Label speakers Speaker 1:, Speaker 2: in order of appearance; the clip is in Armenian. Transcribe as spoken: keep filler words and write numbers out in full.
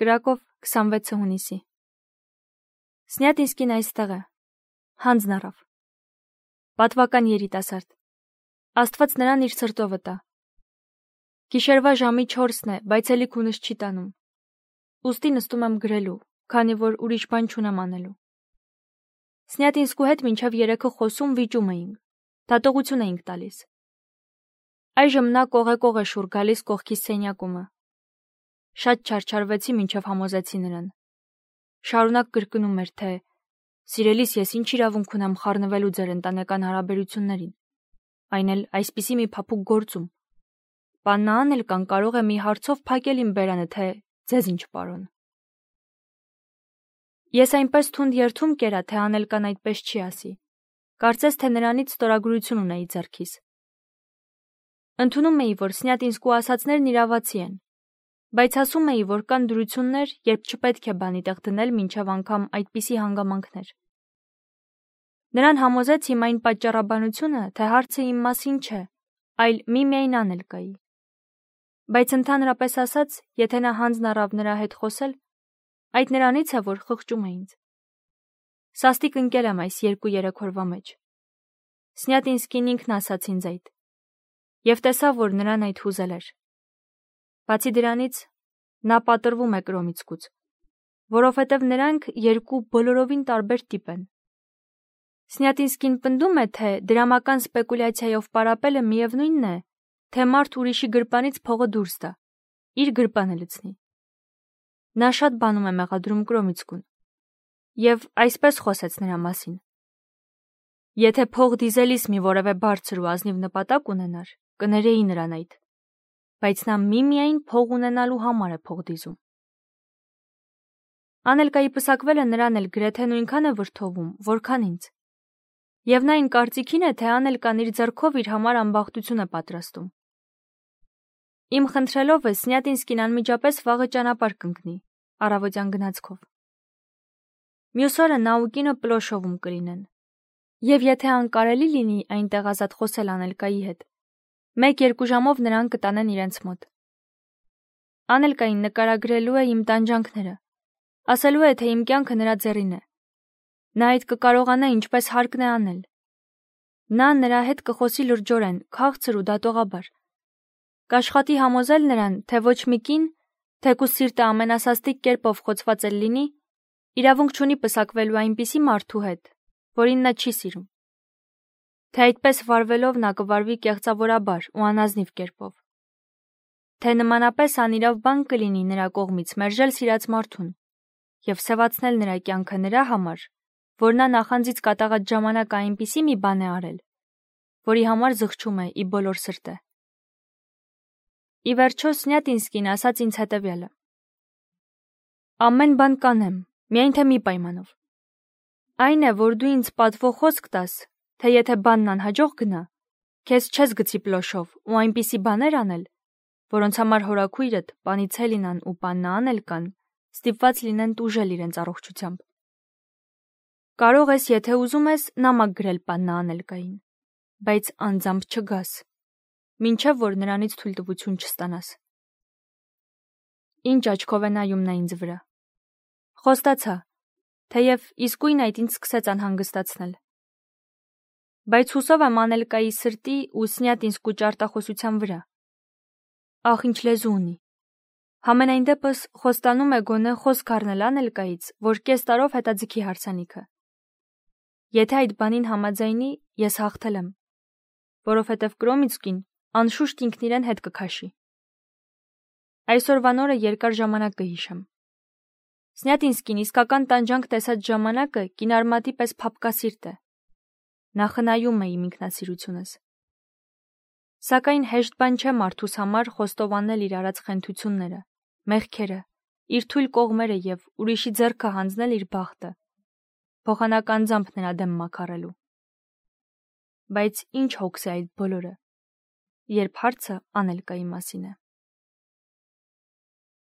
Speaker 1: Կրակով քսանվեցը հունիսի։ Սնյատինսկին այստեղ է։ Հանձն առավ։ Պատվական երիտասարդ։ Աստված նրան իր սրտովը տա։ Գիշերվա ժամի չորսն է, բայց էլի քունս չի տանում։ Ուստի նստում եմ գրելու, քանի որ ուրիշ բան չունեմ անելու։ Սնյատինսկու հետ մինչև երեքը խոսում վիճում էինք, դատողություն էինք տալիս։ Այժմ նա կողե-կող է շուռ գալիս կողքիս սենյակումը։ Շատ չարչարվեցի, մինչև համոզեցի նրան։ Շարունակ կրկնում էր, թե սիրելիս ես ինչ իրավունք ունեմ խառնվելու ձեր ընտանեկան հարաբերություններին, այն էլ այսպիսի մի փափուկ գործում։ Պաննա Անելկան կարող է մի հարցով փակել իմ բերանը, թե ձեզ ինչ պարոն։ Ես այնպես թունդ երթում կերա, թե Անելկան այդպես չի ասի։ Կարծես թե նրանից ստորագրություն ունեի ձեռքիս։ Ընդունում էի, որ Սնյատինսկու ասածներն իրավացի են, բայց ասում էի, որ կան դրություններ, երբ չպետք է բանի տեղ դնել մինչև անգամ այդպիսի հանգամանքներ։ Նրան համոզեց իմ այն պատճառաբանությունը, թե հարցը իմ մասին չէ, այլ միմիայն Անելկայի։ Բայց ընդհանրապես ասած, եթե նա հանձն առավ նրա հետ խոսել, այդ նրանից է, որ խղճում է ինձ։ Սաստիկ ընկել եմ այս երկու-երեք օրվա մեջ։ Սնյատինսկին ինքն ասաց ինձ այդ, և տեսա, որ նրան այդ հուզել էր։ Բացի դրանից, նա պատրվում է Կրոմիցկուց, որովհետև նրանք երկու բոլորովին տարբեր տիպ են։ Սնյատինսկին պնդում է, թե դրամական սպեկուլյացիայով պարապելը միևնույնն է, թե մարդ ուրիշի գրպանից փողը դուրս տա, իր գրպանը լցնի։ Նա շատ բանում է մեղադրում Կրոմիցկուն, և այսպես խոսեց նրա մասին. Եթե փող դիզելիս մի որևէ բարձր ու ազնիվ նպատակ ունենար, կներեի նրան այդ, բայց նա միմիայն փող ունենալու համար է փող դիզում։ Անելկայի պսակվելը նրան էլ գրեթե նույնքան է վրդովում, որքան ինձ։ Եվ նա այն կարծիքին է, թե Անելկան իր ձեռքով իր համար ամբախտություն է պատրաստում։ Իմ խնդրելով է Սնյատինսկին անմիջապես վաղը ճանապարհ կընկնի, առավոտյան գնացքով։ Մյուս օրը նա ու կինը Պլոշովում կլինեն։ Եվ եթե անկարելի լինի այնտեղ ազատ խոսել Անելկայի հետ, մեկ-երկու ժամով նրան կտանեն իրենց մոտ։ Անելկային նկարագրելու է իմ տանջանքները, ասելու է, թե իմ կյանքը նրա ձեռին է։ Նա այդ կկարողանա ինչպես հարկն է անել։ Նա նրա հետ կխոսի լրջորեն, քաղցր ու դատողաբար։ Կաշխատի համոզել նրան, թե ոչ մի կին, թեկուզ սիրտը ամենասաստիկ կերպով խոցված էլ լինի, իրավունք չունի պսակվելու այնպիսի մարդու հետ, որին նա չի սիրում։ Թե այդպես վարվելով նա կվարվի կեղծավորաբար ու անազնիվ կերպով։ Թե նմանապես անիրավ բան կլինի նրա կողմից մերժել սիրած մարդուն և սևացնել նրա կյանքը նրա համար, որ նա նախանձից կատաղած ժամանակ այնպիսի մի բան է արել, որի համար զղջում է ի բոլոր սրտե։ Ի վերջո Սնյատինսկին ասաց ինձ հետևյալը. Ամեն բան կանեմ, միայն թե մի պայմանով։ Այն է, որ դու ինձ պատվո խոսք տաս, թե եթե բանն անհաջող գնա, քեզ չես գցի Պլոշով ու այնպիսի բաներ անել, որոնց համար հորաքույրդ, Պանիցելինան ու Պաննա Անելկան ստիպված լինեն տուժել իրենց առողջությամբ։ Կարող ես, եթե ուզում ես, նամակ գրել Պաննա Անելկային, բայց անձամբ չգաս, մինչև որ նրանից թույլտվություն չստանաս։ Ինչ աչքով է նայում նա ինձ վրա։ Խոստացա, թեև իսկույն այդ ինձ սկսեց անհանգստացնել։ Բայց հուսով եմ Անելկայի սրտի ու Սնյատինսկու ճարտախոսության վրա։ Ախ, ինչ լեզու ունի։ Համենայն դեպս խոստանում է գոնե խոսք առնել Անելկայից, որ կես տարով հետաձգի հարսանիքը։ Եթե այդ բանին համաձայնի, ես հաղթել եմ, որովհետև Կրոմիցկին անշուշտ ինքն իրեն հետ կքաշի։ Այսօրվան օրը երկար ժամանակ կհիշեմ։ Սնյատինսկին իսկական տանջանք տեսած ժամանակը կինարմատի պես փափկասիրտ է։ Նա խնայում է իմ ինքնասիրությունս։ Սակայն հեշտ բան չէ մարդուս համար խոստովանել իր արած խենթությունները, մեղքերը, իր թույլ կողմերը և ուրիշի ձեռքը հանձնել իր բախտը, փոխանակ նրա դեմ մաքարելու։ Բայց ինչ հոգս է այդ բոլորը, երբ հարցը Անելկայի մասին է։